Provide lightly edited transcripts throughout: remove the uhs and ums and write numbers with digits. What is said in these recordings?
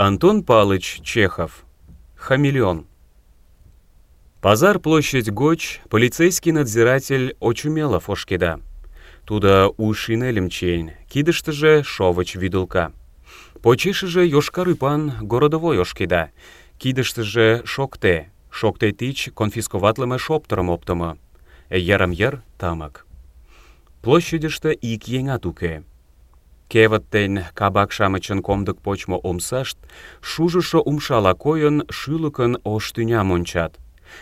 Антон Палыч Чехов. Хамелеон. Пазар площадь гоч полицейский надзиратель Очумелов ошкеда. Туда у шинелем чейн, кидыштыже шовыч вӱдылка. Почешыже йошкар ӱпан городовой ошкеда, кидыштыже шокте тич конфисковатлыме шоптырым оптымо. Йырым-йыр тымык. Площадьыште ик еҥат уке. Кевыт ден кабак-шамычын комдык почмо омсашт шужышо умшала койын шӱлыкын ош тӱням ончат.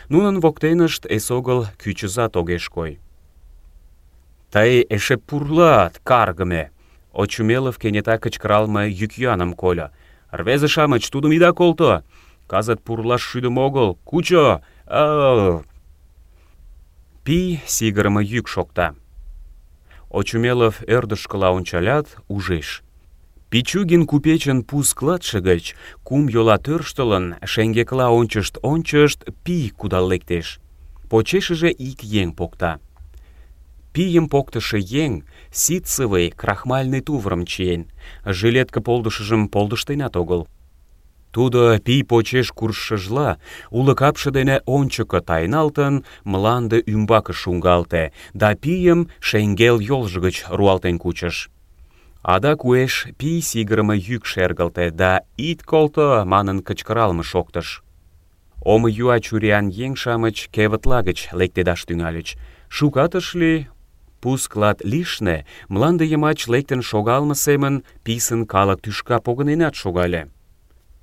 Нунын воктенышт эсогыл кӱчызат огеш кой. «Тый эше пурлат, каргыме!» Очумелов кенета кычкыралме йӱк-йӱаным кольо. «Рвезе-шамыч, тудым ида колто! Кызыт пурлаш шӱдымӧ огыл! Кучо! Пий сигырыме йӱк шокта. Очумелов ӧрдыжкыла ончалят, ужеш. Пичугин купечын пу складше гыч, кум йола тӧрштылын, шеҥгекла ончышт, пий кудал лектеш. Почешыже ик еҥ покта. Пийым поктышо еҥ ситцевый крахмальный тувырым чиен, жилетке полдышыжым полдыштенат огыл. Тудо пий почеш куржшыжла, уло капше дене ончыко тайналтын, мланде ӱмбаке шуҥгалте да пийым шеҥгел йолжо гыч руалтен кучыш. Адак уэш пий сигырыме йӱк шергылте да «Ит колто!» манын кычкыралме шоктыш. Омо юа чуриян еҥ-шамыч кевытла гыч лектедаш тӱҥальыч. Шукат ыш лий, пу склад лишне мланде йымач лектын шогалме семын писын калык тӱшка погыненат шогале.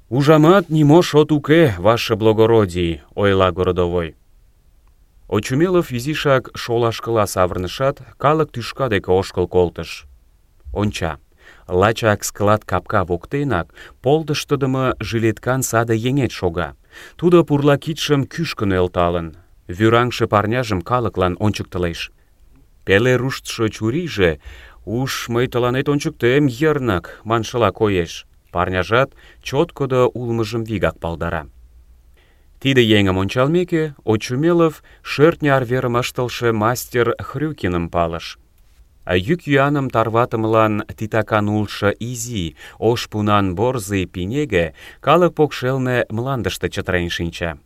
«Ужамат, нимо шот уке, ваше благородий», — ойла городовой. Очумелов изишак шолашкыла савырнышат, калык тӱшка деке ошкыл колтыш. Онча, лачак склад капка воктенак полдыштыдымо жилеткан саде еҥет шога. Тудо пурла кидшым кӱшкӧ нӧлталын, вӱраҥше парняжым калыклан ончыктылеш. Пеле руштшо чурийже «Уж мый тыланет ончыктем, йырнык» маншыла коеш. Парняжат чоткыдо улмыжым вигак палдара. Тиде еҥым ончалмеке, Очумелов шӧртньӧ арверым ыштылше мастер Хрюкиным палыш. Йӱк-йӱаным тарватымылан титакан улшо изи, ош пунан борзый пинеге калык покшелне мландыште чытырен шинча.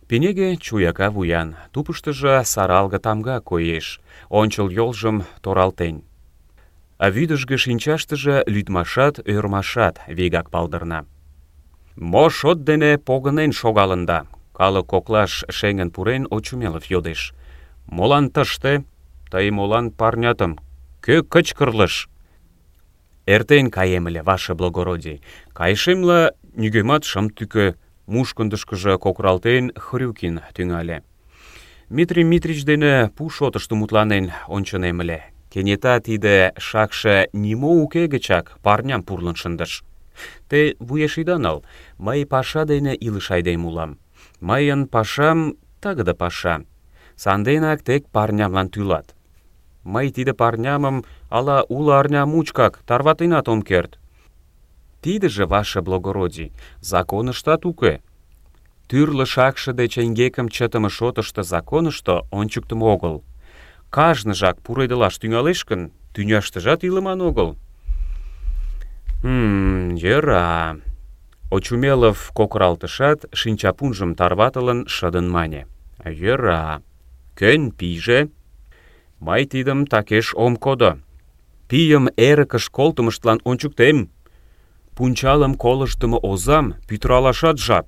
Пинеге чуяка вуян, тупыштыжо саралге тамга коеш, ончыл йолжым торалтен. А вӱдыжгӧ шинчаштыже лӱдмашат, ӧрмашат вигак палдырна. «Мо шот дене погынен шогалында?» Калык коклаш шеҥын пурен, Очумелов йодеш. «Молан тыште? Тый молан парнятым? Кӧ кычкырлыш?» «Эртен каем ыле, ваше благородий. Кайышемла нигӧмат шым тӱкӧ», — мушкындышкыжо кокыралтен, Хрюкин тӱҥале. «Митрий Митрич дене пу шотышто мутланен ончынем ыле. Кенета тиде шакше нимо уке гычак парням пурлын шындыш. Те вуеш ида нал, мый паша дене илыш айдем улам. Мыйын пашам тыгыде паша. Санденак тек парнямлан тӱлат. Мый тиде парнямым ала уло арня мучкак тарватенат ом керт. Тидыже, ваше благородий, законыштат уке. Тӱрлӧ шакше деч эҥгекым чытыме шотышто законышто ончыктымо огыл. Кажныжак пуредылаш тӱҥалеш гын, тӱняштыжат илыман огыл». Йӧра. Очумелов кокыралтышат, шинчапунжым тарватылын, шыдын мане. «Йӧра. Кӧн пийже? Мый тидым такеш ом кодо. Пийым эрыкыш колтымыштлан ончыктем. Пунчалым колыштдымо озам пӱтыралашат жап.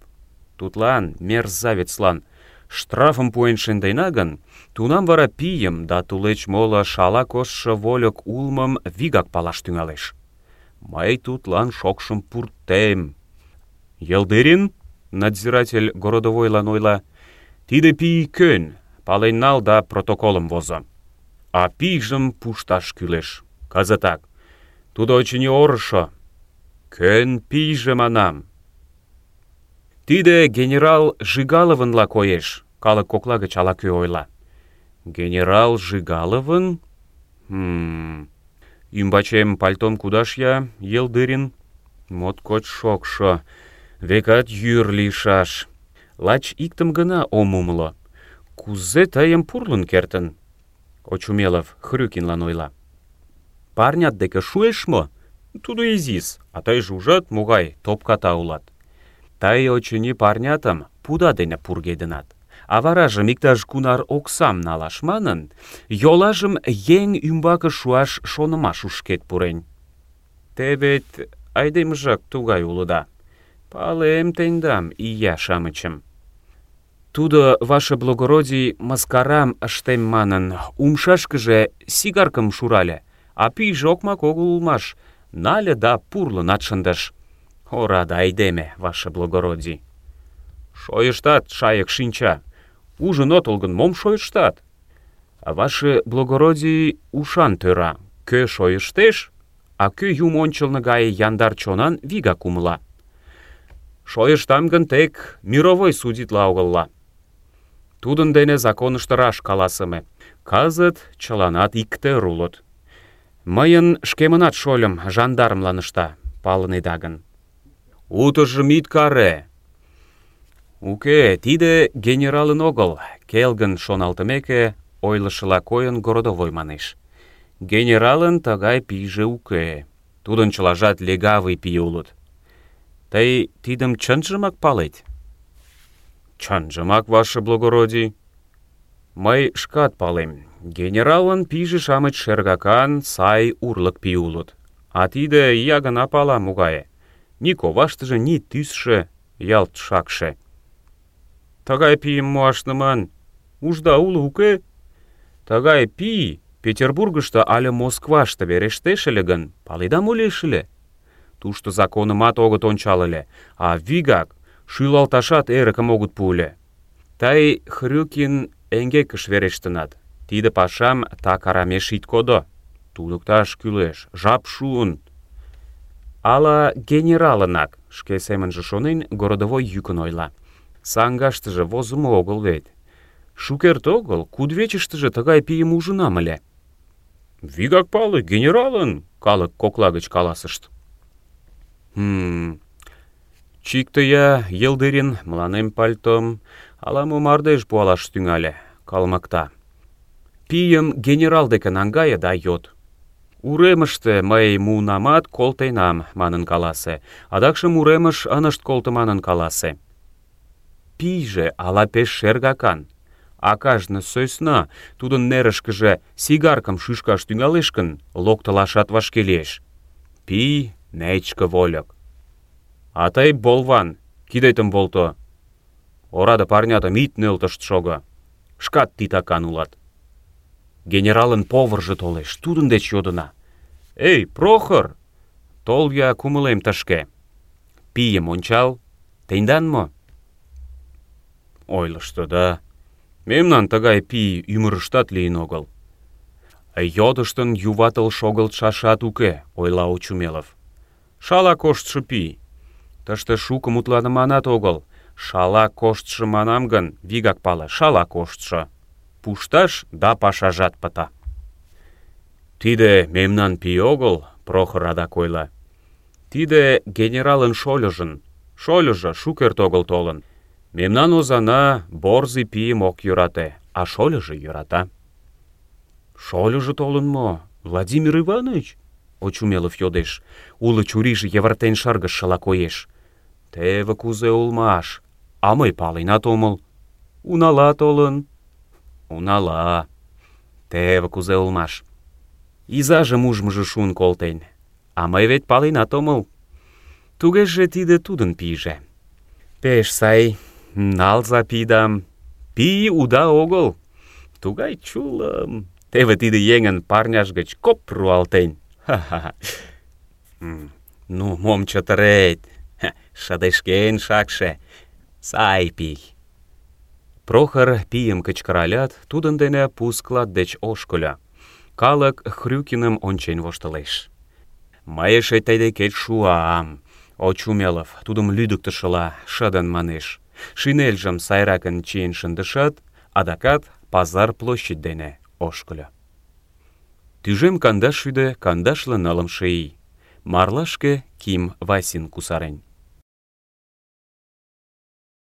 Тудлан, мерзавецлан, штрафым пуэн шындена гын, тунам вара пийым да тулеч моло шала коштшо вольык улмым вигак палаш тӱҥалеш. Мый тудлан шокшым пуртем». «Йылдырин?» — надзиратель городовойлан ойла. «Тиде пий кӧн? Пален нал да протоколым возо. А пийжым пушташ кӱлеш. Кызытак. Тудо, очыни, орышо. Кӧн пийже, манам?» «Тиде генерал Жигаловынла коеш», — калык кокла гыч ала-кӧ ойла. «Генерал Жигаловын? Ӱмбачем пальтом кудаш-я, Йылдырин. Моткоч шокшо. Векат йӱр лийшаш. Лач иктым гына ом умыло. Кузе тыйым пурлын кертын?» Очумелов Хрюкинлан ойла. «Парнят деке шуэш мо? Тудо изис, а тыйже ужат, могай топката улат. Тый, очыни, парнятым пуда дене пургедынат. А варажым иктаж кунар оксам налаш манын, йолажым еҥ ӱмбаке шуаш шонымаш ушкет пурен. Те вет айдемыжак тугай улыда. Палем тендам, ия-шамычым. Тудо, ваше благородий, маскарам ыштем манын, умшашкыже сигаркым шурале, а пийже окмак огыл улмаш, нале да пурлынат шындыш. Ораде айдеме, ваше благородий. Шойыштат, шайык шинча. Ужын отыл гын, мом шойыштат? Ваше благородий ушан тӧра. Кӧ шойыштеш, а кӧ юмо ончылно гае яндар чонан вигак умыла. Шойыштам гын тек мировой судитла огылла. Тудын дене законышто раш каласыме. Кызыт чыланат иктӧр улыт. Мыйын шкемынат шольым жандармлан ышта, палынеда гын. Утыжым ит каре. Уке, тиде генералын огыл, келгын шоналтымеке, ойлышыла койын городовой манеш. Генералын тыгай пийже уке. Тудын чылажат легавый пий улыт. Тый тидым чынжымак палет? Чынжымак, ваше благородий. Мый шкат палем. Генералын пийже-шамыч шергакан, сай урлык пий улыт. А тиде ия гына пала могае. Ни коваштыже, ни тӱсшӧ, ялт шакше. Тыгай пийым муаш ныман. Ужда уло, уке? Тыгай пий Петербургышто але Москваште верештеш ыле гын, паледа мо лиеш ыле? Тушто законымат огыт ончал ыле, а вигак шӱлалташат эрыкым огыт пу ыле. Тый, Хрюкин, эҥгекыш верештынат. Тиде пашам так арамеш ит кодо. Туныкташ кӱлеш, жап шуын. Ала генералынак, шке семынже шонен, городовой йӱкын ойла. Саҥгаштыже возымо огыл вет. Шукерте огыл кудывечыштыже тыгай пийым ужынам ыле. Вигак пале, генералын, калык кокла гыч каласышт. Чикте-я, Йылдырин, мыланем пальтом, ала-мо мардеж пуалаш тӱҥале, калмыкта. Пийым генерал деке наҥгае да йод. Уремыште мый муынамат, колтенам, манын каласе. Адакшым уремыш ынышт колто манын каласе. Пийже ала пеш шергакан. А кажне сӧсна тудын нерышкыже сигаркым шӱшкаш тӱҥалеш гын, локтылашат вашке лиеш. Пий — нечке вольык. А тый, болван, кидетым волто. Ораде парнятым ит нӧлтышт шого. Шкат титакан улат. Генералын поварже толеш, тудын деч йодына. Эй, Прохор, тол-я кумылем тышке. Пийым ончал, тендан мо? Ойлышто да. Мемнан тыгай пий ӱмырыштат лийын огыл. Йодыштын юватыл шогылтшашат уке, ойла Очумелов. Шала коштшо пий. Тыште шуко мутланыманат огыл. Шала коштшо манам гын, вигак пале, шала коштшо. Пушташ да пашажат пыта. Тиде мемнан пий огыл, Прохор адак ойла. Тиде генералын шольыжын. Шольыжо шукерте огыл толын. Мемнан озана борзый пийым ок йӧрате, а шольыжо йӧрата. Шольыжо толын мо, Владимир Иванович? Очумелов йодеш. Уло чурийже йывыртен шыргыжшыла коеш. Теве кузе улмаш, а мый паленат омыл. Унала толын. Унала. Теве кузе улмаш. Изажым ужмыжо шуын колтен, а мый вет паленат омыл. Тугеже тиде тудын пийже. Пеш сай. Налза пийдам. Пий уда огыл. Тугай чулым. Теве тиде еҥын парняж гыч коп руалтен. Ха-ха-ха. Ну, мом чытырет. Шыдешкен шакше. Сай пий. Прохор пийым кычкыралят, тудын дене пу склад деч ошкыльо. Калык Хрюкиным ончен воштылеш. Мый эше тый декет шуам. Очумелов тудым лӱдыктышыла шыдын манеш. Шинельжым сайракын чиен шындышат, адакат пазар площадь дене ошкыльо. Тӱжем 254 ий. Марлашке Ким Васин кусарен.